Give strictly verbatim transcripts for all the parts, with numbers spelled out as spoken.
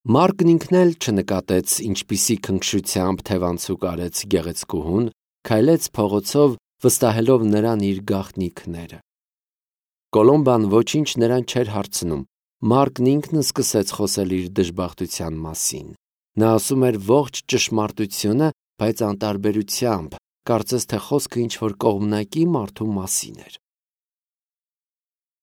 Մարկն ինքն էլ չնկատեց, ինչպիսի քնքշությամբ թևանցուկ արեց գեղեցկուհուն, քայլեց փողոցով, վստահելով նրան իր գաղտնիքները։ Կոլոմբան ոչինչ նրան չէր հարցնում, Մարկն ինքն սկսեց խոսել իր դժբախտության մասին։ Նա ասում էր ողջ ճշմարտությունը, բայց անտարբերությամբ, կարծես թե խոսքը ինչ-որ կողմնակի մարդու մասին էր։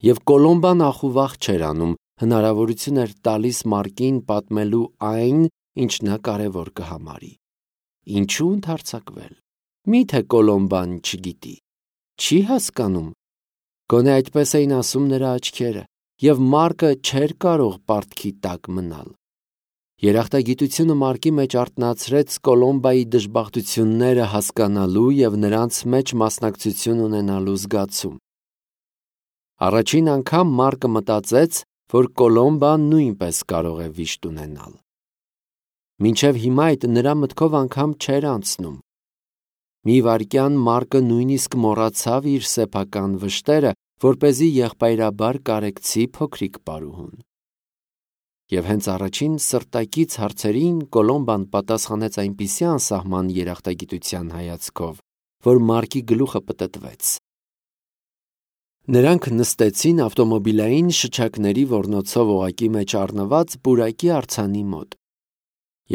Եվ Կոլոմբան ախուվախ չէր անում, հնարավորություն էր տալիս Մարկին պատմելու այն, ինչ նա կարևոր կհամարի։ Ինչու ընդհարձակվել։ Մի՞թե Կոլոմբան չգիտի, չի հասկանում։ Գոնե այդպես էին ասում նրա աչքերը, և Մարկը չէր կարող պարտքի տակ մնալ։ Երախտագիտությունը Մարկի մեջ արթնացրեց Կոլոմբայի դժբախտությունները հասկանալու և նրանց մեջ մասնակցություն ունենալու զգացում։ Առաջին անգամ Մարկը մտածեց, որ Կոլոմբան նույնպես կարող է վիշտ ունենալ։ Մինչև հիմա այդ նրա մտքով անգամ չէր անցնում։ Մի վայրկյան Մարկը նույնիսկ մոռացավ իր սեփական վշտերը, որպեսզի եղբայրաբար կարեկցի փոքրիկ պարուհուն։ Եվ հենց առաջին սրտակից հարցերին Կոլոմբան պատասխանեց այնպիսի անսահման երախտագիտության հայացքով, որ Մարկի գլուխը պտտվեց։ Նրանք նստեցին ավտոմոբիլային շչակների ոռնոցով օղակի մեջ առնված պուրակի արձանի մոտ,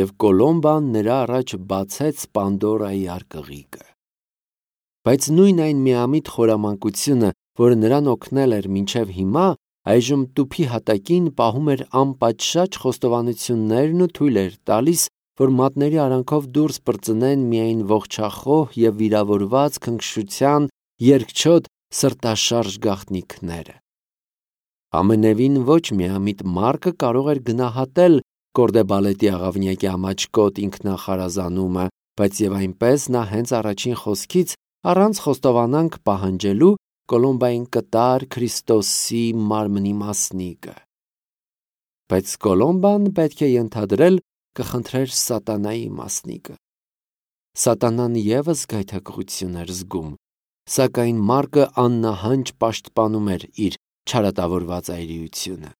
և Կոլոմբան նրա առաջ բացեց Պանդորայի արկղիկը։ Բայց նույն այն միամիտ խորամանկությունը, որը նրան օգնել էր մինչև հիմա, այժմ տուփի հատակին պահում էր անպատշաճ խոստովանություններն ու թույլ էր տալիս, որ մատների արանքով դուրս պրծնեն միայն ողջախոհ և վիրավորված քնքշության երկչոտ սրտաշարժ գաղտնիքները։ Ամենևին ոչ միամիտ Մարկը կարող էր գնահատել Կորդեբալետի աղավնյակի ամաչկոտ ինքնախարազանումը, բայց և այնպես նա հենց առաջին խոսքից, առանց խոստովանանք պահանջելու, Կոլոմբային կտար Քրիստոսի մարմնի մասնիկը։ Բայց Կոլոմբան, պետք է ենթադրել, կխնդրեր սատանայի մասնիկը։ Սատանան ևս գայթակղություն էր զգում, սակայն Մարկը աննահանջ պաշտպանում էր իր չարատավորված այրիությունը։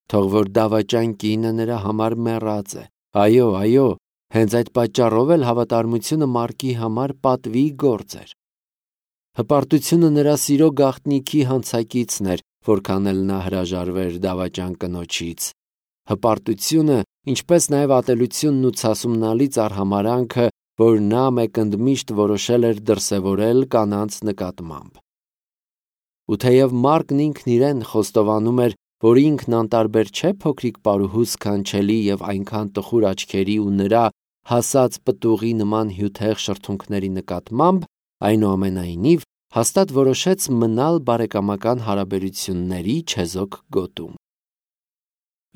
Թող որ դավաճան կինը նրա համար մեռած է։ Այո, այո, հենց այդ պատճառով էլ հավատարմությունը Մարկի համար պատվի գործ էր։ Հպարտությունը նրա սիրո գաղտնիքի հանցակիցն էր, որքան էլ նա հրաժարվեր դավաճան կնոջից։ Հպարտությունը, ինչպես նաև ատելությունն ու ցասումնալից արհամարհանքը, որ նա մեկընդմիշտ որոշել էր դրսևորել կանանց նկատմամբ։ Ու թեև Մարկն ինքն իրեն խոստովանում էր, որ ինքն անտարբեր չէ փոքրիկ պարուհու սքանչելի և այնքան տխուր աչքերի ու նրա հասած պտուղի նման հյութեղ շրթունքների նկատմամբ, այնուամենայնիվ հաստատ որոշեց մնալ բարեկամական հարաբերությունների չեզոք գոտում։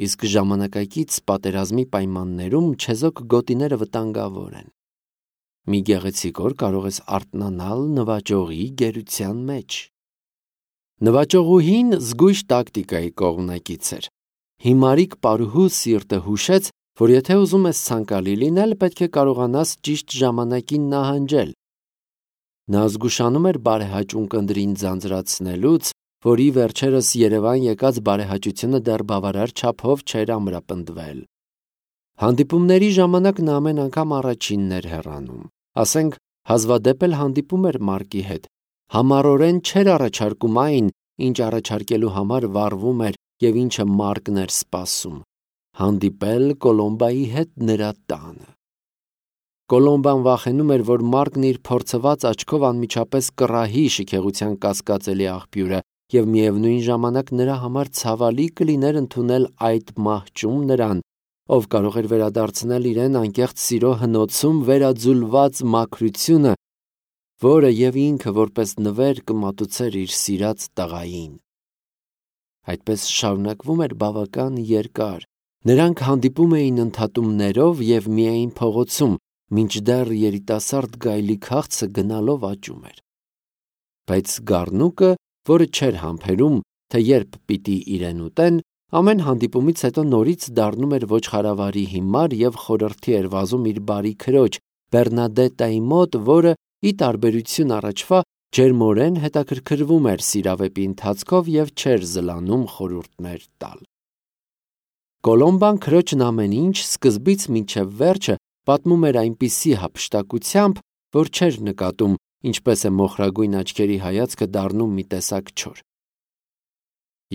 Իսկ ժամանակակից պատերազմի պայմաններում չեզոք գոտիները վտանգավոր են։ Մի գեղեցիկ օր կարող ես արթնանալ նվաճողի գերության մեջ։ Նվաճողուհին զգույշ տակտիկայի կողմնակից էր։ Հիմարիկ պարուհու սիրտը հուշեց, որ եթե ուզում ես ցանկալի լինել, պետք է կարողանաս ճիշտ ժամանակին նահանջել։ Նա զգուշանում էր բարեհաճ ունկնդրին ձանձրացնելուց, որի վերջերս Երևան եկած բարեհաճությունը դեռ բավարար չափով չէր ամրապնդվել։ Հանդիպումների ժամանակ նա ամեն անգամ առաջինն էր հեռանում։ Ասենք, հազվադեպ էլ հանդիպում էր Մարկի հետ։ Համառորեն չէր առաջարկում այն, ինչ առաջարկելու համար վառվում էր և ինչը Մարկն էր սպասում՝ հանդիպել Կոլոմբայի հետ նրա տանը։ Կոլոմբան վախենում էր, որ Մարկն իր փորձված աչքով անմիջապես կռահի շքեղության կասկածելի աղբյուրը, և միևնույն ժամանակ նրա համար ցավալի կլիներ ընդունել այդ մահճում նրան, ով կարող էր վերադարձնել իրեն անկեղծ սիրո հնոցում վերաձուլված մաքրությունը, որը և ինքը որպես նվեր կմատուցեր իր սիրած տղային։ Այդպես շարունակվում էր բավական երկար։ Նրանք հանդիպում էին ընդհատումներով և միայն փողոցում, մինչդեռ երիտասարդ գայլի քաղցը գնալով աճում էր։ Բայց գառնուկը, որը չէր համբերում, թե երբ պիտի իրեն ուտեն, ամեն հանդիպումից հետո նորից դառնում էր ոչխարավարի հիմար և խորհրդի էր վազում իր բարի քրոջ Բեռնադետտայի մոտ, որը, ի տարբերություն առաջվա, ջերմորեն հետաքրքրվում էր սիրավեպի ընթացքով և չէր զլանում խորհուրդներ տալ։ Կոլոմբան քրոջն ամեն ինչ սկզբից մինչև վերջը պատմում էր այնպիսի հափշտակությամբ, որ չէր նկատում, ինչպես է մոխրագույն աչքերի հայացքը դառնում մի տեսակ չոր։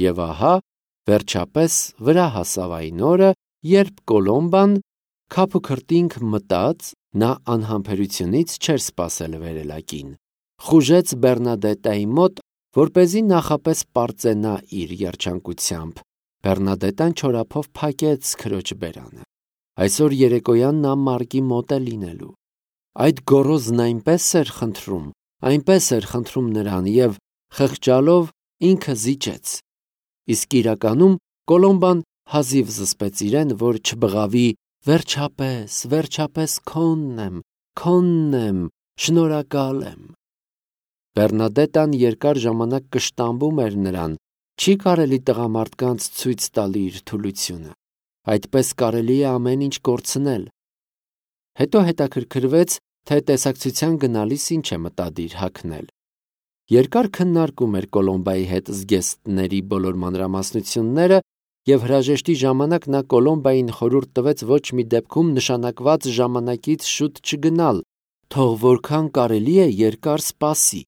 Եվ ահա, վերջապես վրա հասավ այն օրը, երբ Կոլոմբան քափուքրտինք մտած, նա անհամբերությունից չէր սպասել վերելակին, խուժեց Բեռնադետայի մոտ, որպեսզի նախապես պարծենա իր երջանկությամբ։ Բեռնադետան չորափով փակեց քրոջ բերանը։ Այսօր երեկոյան նա Մարկի մոտ է լինելու։ Այդ գոռոզն այնպես էր խնդրում, այնպես էր խնդրում նրան և խղճալով ինքը զիջեց։ Իսկ իրականում Կոլոմբան հազիվ զսպեց իրեն, որ չբղավի վերջապես, վերջապես քոնն եմ, քոնն եմ, շնորհակալ եմ։ Բեռնադետան երկար ժամանակ կշտամբում էր նրան, չի կարելի տղամարդկանց ցույց տալ իր թուլությունը, այդպես կարելի է ամեն ինչ կորցնել։ Հետո հետաքրքրվեց, թե տեսակցության գնալիս ինչ է մտադիր հագնել։ Երկար քննարկում էր Կոլոմբայի հետ զգեստների բոլոր մանրամասնությունները և հրաժեշտի ժամանակ նա Կոլոմբային խորհուրդ տվեց ոչ մի դեպքում նշանակված ժամանակից շուտ չգնալ, թող որքան կարելի է երկար սպասի։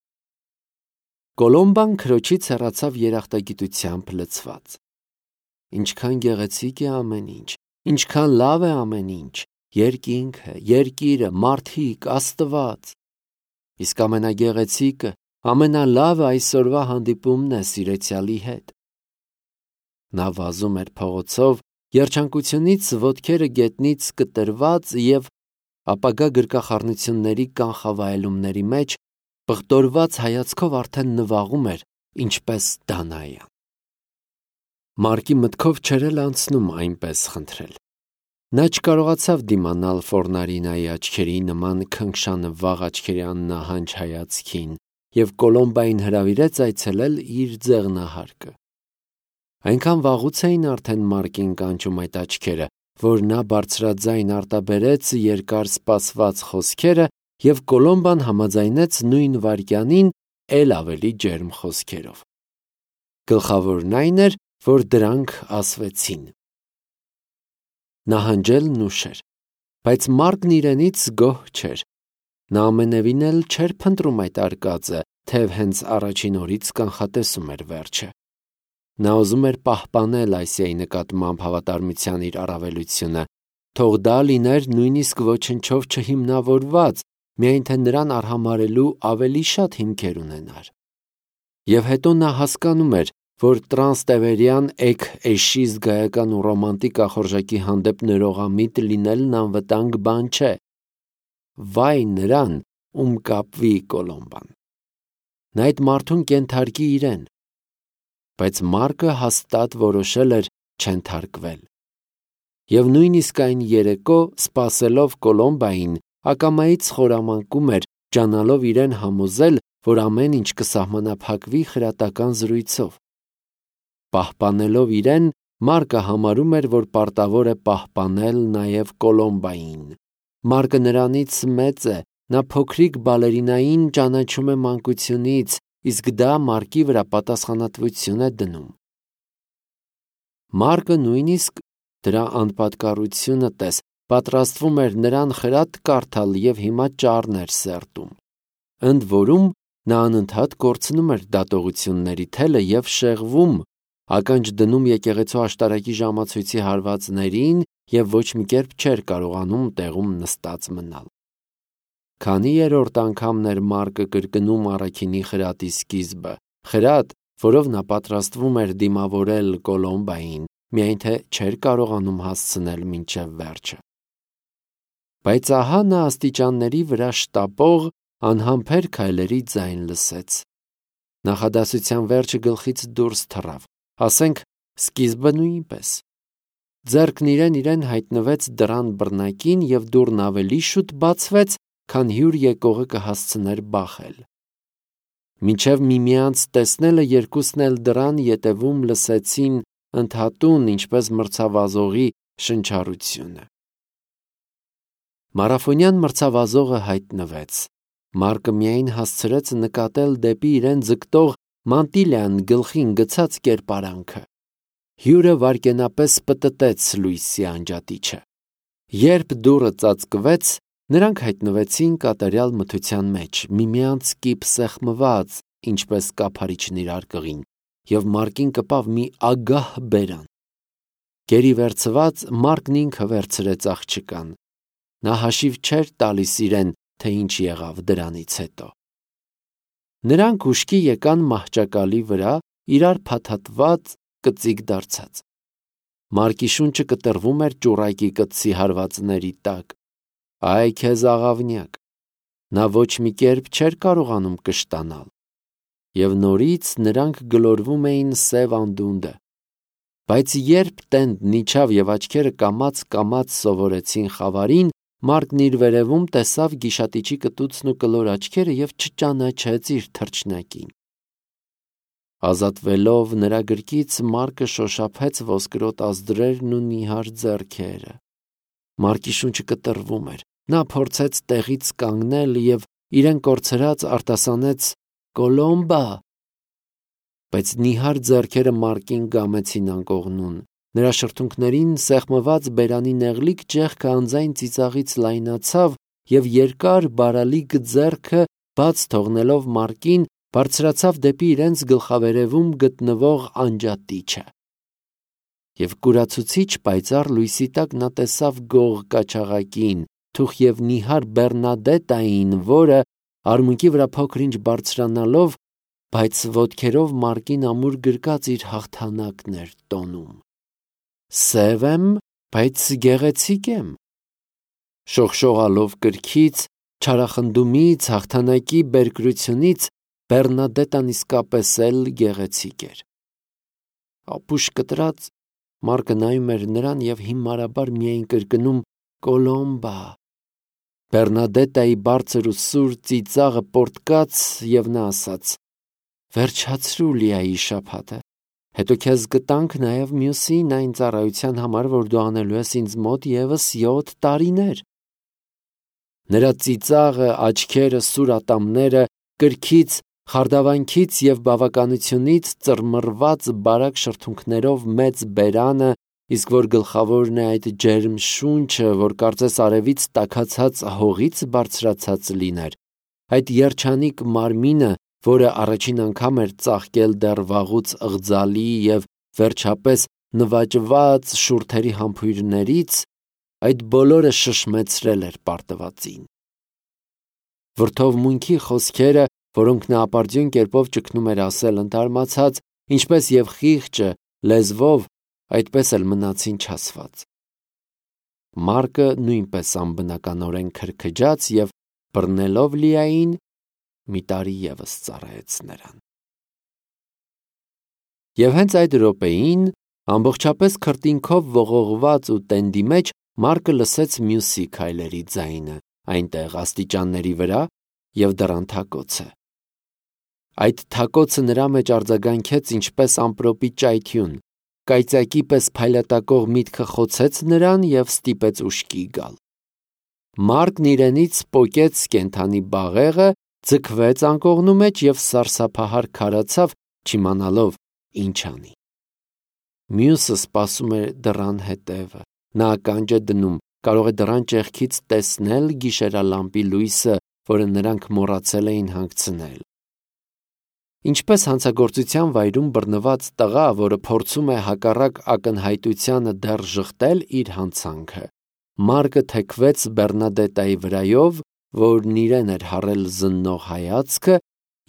Կոլոմբան քրոջից հեռացավ երախտագիտությամբ լցված։ Ինչքան գեղեցիկ է ամեն ինչ, ինչքան լավ է ամեն ինչ, երկինքը, երկիրը, մարդիկ, Աստված։ Իսկ ամենագեղեցիկը, ամենալավը այսօրվա հանդիպումն է սիրեցյալի հետ։ Նա վազում էր փողոցով, երջանկությունից ոտքերը գետնից կտրված և ապագա գրկախառնությունների կանխավայելումների մեջ պղտորված հայացքով արդեն նվաղում էր, ինչպես Դանայան։ Մարկի մտքով չէր էլ անցնում այնպես խնդրել։ Նա չկարողացավ դիմանալ Ֆորնարինայի աչքերի նման քնքշանվաղ աչքերի աննահանջ հայացքին և Կոլոմբային հրավիրեց այցելել իր ձեղնահարկը։ Այնքան վաղուց էին արդեն Մարկին կանչում այդ աչքերը, որ նա բարձրաձայն արտաբերեց երկար սպասված խոսքերը և Կոլոմբան համաձայնեց նույն վայրկյանին էլ ավելի ջերմ խոսքերով։ Գլխավորն այն էր, որ դրանք ասվեցին։ Նահանջելն ուշ էր, բայց Մարկն իրենից գոհ չէր։ Նա ամենևին էլ չէր փնտրում այդ արկածը, թեև հենց առաջին օրից կանխատեսում էր վերջը։ Նա ուզում էր պահպանել Ասիայի նկատմամբ հավատարմության իր առավելությունը, թող դա լիներ նույնիսկ ոչնչով չհիմնավորված, միայն թե նրան արհամարհելու ավելի շատ հիմքեր ունենար։ Եվ հետո նա հասկանում էր, որ տրանստևերյան էգ-էշի զգայական ու ռոմանտիկ ախորժակի հանդեպ ներողամիտ լինելն անվտանգ բան չէ։ Վայ նրան, ում կապվի Կոլոմբան։ Նա այդ մարդուն կենթարկի իրեն։ Բայց Մարկը հաստատ որոշել էր չենթարկվել։ Եվ նույնիսկ այն երեկո, սպասելով Կոլոմբային, ակամայից խորամանկում էր, ջանալով իրեն համոզել, որ ամեն ինչ կսահմանափակվի խրատական զրույցով։ Պահպանելով իրեն, Մարկը համարում էր, որ պարտավոր է պահպանել նաև Կոլոմբային։ Մարկը նրանից մեծ է, նա փոքրիկ բալերինային ճանաչում է մանկությունից, իսկ դա Մարկի վրա պատասխանատվություն է դնում։ Մարկը նույնիսկ, դրա անպատկառությունը տես, պատրաստվում էր նրան խրատ կարդալ և հիմա ճառն էր սերտում։ Ընդ որում, նա անընդհատ կորցնում էր դատողությունների թելը և շեղվում, ականջ դնում եկեղեցու աշտարակի ժամացույցի հարվածներին և ոչ մի կերպ չէր կարողանում տեղում նստած մնալ։ Քանի երրորդ անգամն էր Մարկը կրկնում առաքինի խրատի սկիզբը, խրատ, որով նա պատրաստվում էր դիմավորել Կոլոմբային, միայն թե չէր կարողանում հասցնել մինչև վերջը։ Բայց ահա նա աստիճանների վրա շտապող, անհամբեր քայլերի ձայն լսեց։ Նախադասության վերջը գլխից դուրս թռավ, ասենք սկիզբը նույնպես։ Ձեռքն իրեն իրեն հայտնվեց դռան բռնակին և դուռն ավելի շուտ բացվեց, քան հյուր եկողը կհասցներ բախել։ Մինչև միմյանց տեսնելը երկուսն էլ դռան ետևում լսեցին ընդհատուն, ինչպես մրցավազողի շնչառությունը։ Մարաֆոնյան մրցավազողը հայտնվեց։ Մարկը միայն հասցրեց նկատել դեպի իրեն ձգտող Մանտիլյան գլխին գցած կերպարանքը։ Հյուրը վայրկենապես պտտեց լույսի անջատիչը։ Երբ դուռը ծածկվեց, նրանք հայտնվեցին կատարյալ մթության մեջ, միմյանց կիպ սեղմված, ինչպես կափարիչն իր արկղին, և Մարկին կպավ մի ագահ բերան։ Գերի վերցված Մարկն ինքը վերցրեց աղջկան։ Նա հաշիվ չէր տալիս իրեն, թե ինչ եղավ դրանից հետո։ Նրանք ուշքի եկան մահճակալի վրա, իրար փաթաթված, կծիկ դարձած։ Մարկի շունչը կտրվում էր ճուռակի կտցի հարվածների տակ։ Այ քեզ աղավնյակ։ Նա ոչ մի կերպ չէր կարողանում կշտանալ։ Եվ նորից նրանք գլորվում էին սև անդունդը։ Բայց երբ տենդն իջավ և աչքերը կամաց-կամաց սովորեցին խավարին, Մարկն իր վերևում տեսավ գիշատիչի կտուցն ու կլոր աչքերը և չճանաչեց իր թռչնակին։ Ազատվելով նրա գրկից, Մարկը շոշափեց ոսկրոտ ազդրերն ու նիհար ձեռքերը։ Մարկի շունչը կտրվում էր։ Նա փորձեց տեղից կանգնել և իրեն կորցրած արտասանեց «Կոլոմբա», բայց նիհար ձեռքերը Մարկին գամեցին անկողնուն։ Նրա շրթունքներին սեղմված բերանի նեղլիկ ճեղքը անձայն ծիծաղից լայնացավ և երկար բարալիկ ձեռքը, բաց թողնելով Մարկին, բարձրացավ դեպի իրենց գլխավերևում գտնվող անջատիչը։ Եվ կուրացուցիչ պայծառ լույսի տակ նա տեսավ գող կաչաղակին, թուխ և նիհար Բեռնադետային, որը, արմունկի վրա փոքր-ինչ բարձրանալով, բայց ոտքերով Մարկին ամուր գրկած իր հաղթանակն էր տոնում։ «Սև եմ, բայց գեղեցիկ եմ»։ Շողշողալով կրքից, չարախնդումից, հաղթանակի բերկրությունից Բեռնադետան իսկապես էլ գեղեցիկ էր։ Ապուշ կտրած Մարկը նայում էր նրան և հիմարաբար միայն կրկնում «Կոլոմբա»։ Բեռնադետայի բարձր ու սուր ծիծաղը պոռթկաց, և նա ասաց. «Վերջացրու Լիայի շաբաթը, հետո քեզ կտանք նաև մյուսին այն ծառայության համար, որ դու անելու ես ինձ մոտ ևս յոթ տարիներ»։ Նրա ծիծաղը, աչքերը, սուր ատամները, կրքից, խարդավանքից և բավականությունից ծռմռված բարակ շրթունքներով մեծ բերանը, իսկ որ գլխավորն է այդ ջերմ շունչը, որ կարծես արևից տաքացած հողից բարձրացած լիներ, այդ երջանիկ մարմինը, որը առաջին անգամ էր ծաղկել դեռ վաղուց ըղձալի և վերջապես նվաճված շուրթերի համբույրներից, այդ բոլորը շշմեցրել էր պարտվածին։ Վրդովմունքի խոսքերը, որոնք նա ապարդյուն կերպով ճգնում էր ասել ընդհարմացած, ինչպես և խիղճը լեզվով, այդպես էլ մնացին չասված։ Մարկը նույնպես անբնականորեն քրքջաց և, բռնելով Լիային, մի տարի ևս ծառայեց նրան։ Եվ հենց այդ րոպեին, ամբողջապես քրտինքով ողողված ու տենդի մեջ, Մարկը լսեց մյուսի քայլերի ձայնը այնտեղ աստիճանների վրա և դռան թակոցը։ Այդ թակոցը նրա մեջ արձագանքեց ինչպես ամպրոպի ճայթյուն, կայծակի պես փայլատակող միտքը խոցեց նրան և ստիպեց ուշքի գալ։ Մարկն իրենից պոկեց կենդանի բաղեղը, ձգվեց անկողնու մեջ և սարսափահար քարացավ, չիմանալով ինչ անի։ Մյուսը սպասում էր դռան հետևը։ Նա ականջ է դնում, կարող է դռան ճեղքից տեսնել գիշերալամպի լույսը, որը նրանք մոռացել էին հանգցնել։ Ինչպես հանցագործության վայրում բռնված տղա, որը փորձում է հակառակ ակնհայտությանը դեռ ժխտել իր հանցանքը, Մարկը թեքվեց Բեռնադետայի վրայով, որն իրեն էր հառել զննող հայացքը,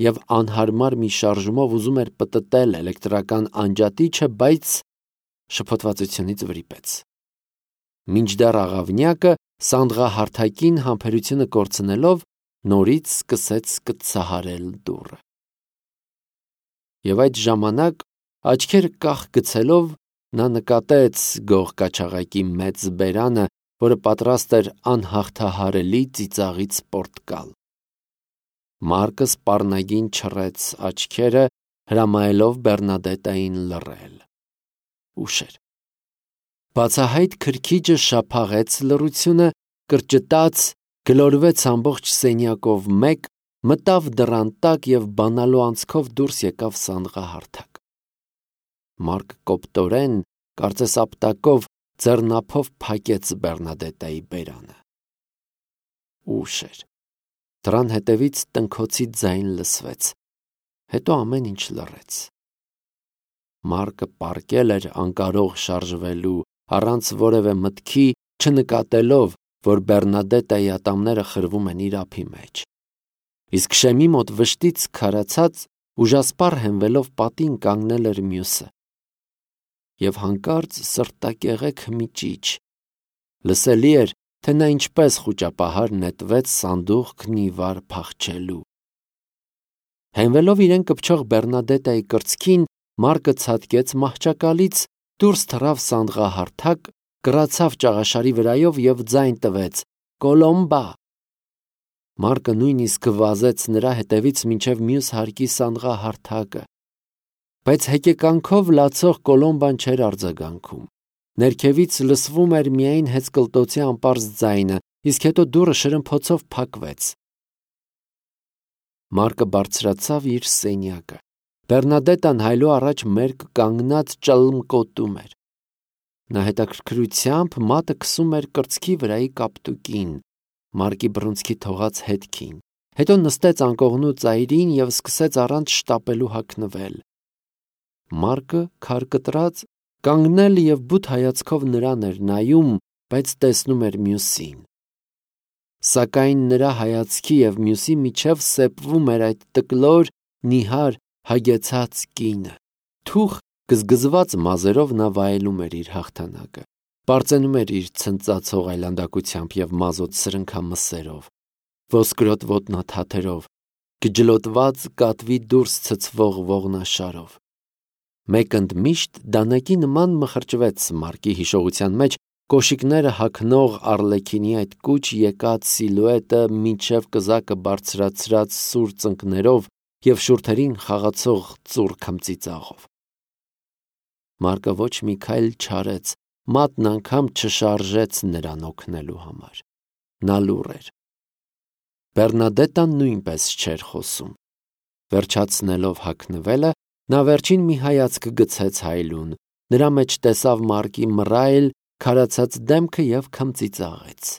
և անհարմար մի շարժումով ուզում էր պտտել էլեկտրական անջատիչը, բայց շփոթվածությունից վրիպեց։ Մինչդեռ աղավնյակը, սանդղահարթակին համբերությունը կորցնելով, նորից սկսեց կծահարել դուռը։ Եվ այդ ժամանակ, աչքերը կախ գցելով, նա նկատեց գող կաչաղակի մեծ բերանը, որը պատրաստ էր անհաղթահարելի ծիծաղից պոռթկալ։ Մարկը սպառնագին չռեց աչքերը, հրամայելով Բեռնադետային լռել։ Ուշ էր։ Բացահայտ քրքիջը շափաղեց լռությունը, կրճտաց, գլորվեց ամբողջ սենյակով մեկ, մտավ դռան տակ և բանալու անցքով դուրս եկավ սանդղահարթակ։ Մարկը կոպտորեն, կարծես ապտակով, ձեռնափով փակեց Բեռնադետայի բերանը։ Ուշ էր։ Դրան հետևից տնքոցի ձայն լսվեց, հետո ամեն ինչ լռեց։ Մարկը պառկել էր անկարող շարժվելու, առանց որևէ մտքի, չնկատելով, որ Բեռնադետայի ատամները խրվում են իր ափի մեջ։ Իսկ շեմի մոտ վշտից քարացած, ուժասպառ հենվելով պատին կանգնել էր մյուսը։ Եվ հանկարծ սրտակեղեք մի ճիչ։ Լսելի էր, թե նա ինչպես խուճապահար նետվեց սանդուղքն ի վար փախչելու։ Հենվելով իրեն կպչող Բեռնադետայի կրծքին, Մարկը ցատկեց մահճակալից, դուրս թռավ սանդղահարթակ, կռացավ ճաղաշարի վրայով և ձայն տվեց. «Կոլոմբա»։ Մարկը նույնիսկ վազեց նրա հետևից մինչև մյուս հարկի սանդղահարթակը։ Բայց հեկեկանքով լացող Կոլոմբան չէր արձագանքում։ Ներքևից լսվում էր միայն հեծկլտոցի անպարզ ձայնը, իսկ հետո դուռը շրմփոցով փակվեց։ Մարկը բարձրացավ իր սենյակը։ Բեռնադետան հայելու առաջ մերկ կանգնած ճլմկոտում էր։ Նա հետաքրքրությամբ մատը քսում էր կրծքի վրայի կապտուկին, Մարկի բռունցքի թողած հետքին, հետո նստեց անկողնու ծայրին և սկսեց առանց շտապելու հագնվել։ Մարկը, քարկտրած, կանգնել և բութ հայացքով նրան էր նայում, բայց տեսնում էր մյուսին։ Սակայն նրա հայացքի և մյուսի միջև սեպվում էր այդ տկլոր, նիհար, հագեցած կինը։ Թուխ գզգզված մազերով նա վայելում էր իր հաղթանակը, պարծենում էր իր ցնծացող այլանդակությամբ և մազոտ սրնքամսերով, ոսկրոտ ոտնաթաթերով, գջլոտված կատվի դուրս ցցվող ողնաշարով։ Մեկ ընդմիշտ դանակի նման մխրճվեց Մարկի հիշողության մեջ կոշիկները հագնող Առլեքինի այդ կուչ եկած սիլուետը մինչև կզակը բարձրացրած սուր ծնկներով և շուրթերին խաղացող ծուռ քմծիծաղով։ Մարկը ոչ մի քայլ չարեց, մատն անգամ չշարժեց նրան օգնելու համար։ Նա լուռ էր։ Բեռնադետան նույնպես չէր խոսում։ Վերջացնելով հագնվելը, նա վերջին մի հայացք գցեց հայելուն, նրա մեջ տեսավ Մարկի մռայլ, քարացած դեմքը և քմծիծաղեց։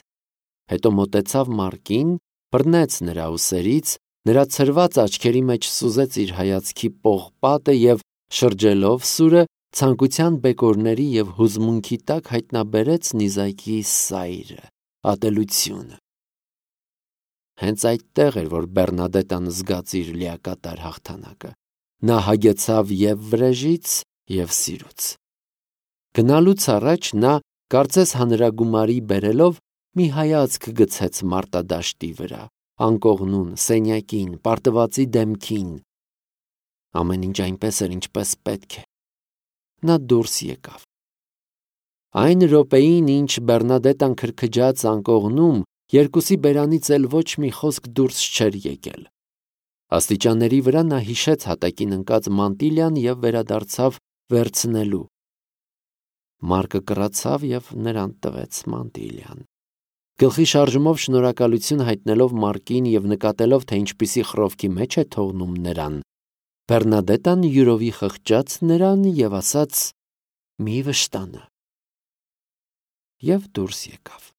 Հետո մոտեցավ Մարկին, բռնեց նրա ուսերից, նրա ցրված աչքերի մեջ սուզեց իր հայացքի պողպատը և, շրջելով սուրը, ցանկության բեկորների և հուզմունքի տակ հայտնաբերեց նիզակի սայրը, ատելությունը։ Հենց այդտեղ էր, որ Բեռնադետան զգաց իր լիակատար հաղթանակը։ Նա հագեցավ և վրեժից, և սիրուց։ Գնալուց առաջ նա, կարծես հանրագումարի բերելով, մի հայացք գցեց մարտադաշտի վրա, անկողնուն, սենյակին, պարտվածի դեմքին։ Ամեն ինչ այնպես էր, ինչպես պետք է։ Նա դուրս եկավ։ Այն րոպեին, ինչ Բեռնադետան քրքջաց անկողնում, երկուսի բերանից էլ ոչ մի խոսք դուրս չէր եկել։ Աստիճանների վրա նա հիշեց հատակին ընկած մանտիլյան և վերադարձավ վերցնելու։ Մարկը կռացավ և նրան տվեց մանտիլյան։ Գլխի շարժումով շնորհակալություն հայտնելով Մարկին և նկատելով, թե ինչպիսի խռովքի մեջ է թողնում նրան, Բեռնադետան յուրովի խղճաց նրան և ասաց. «Մի վշտանա» և դուրս եկավ։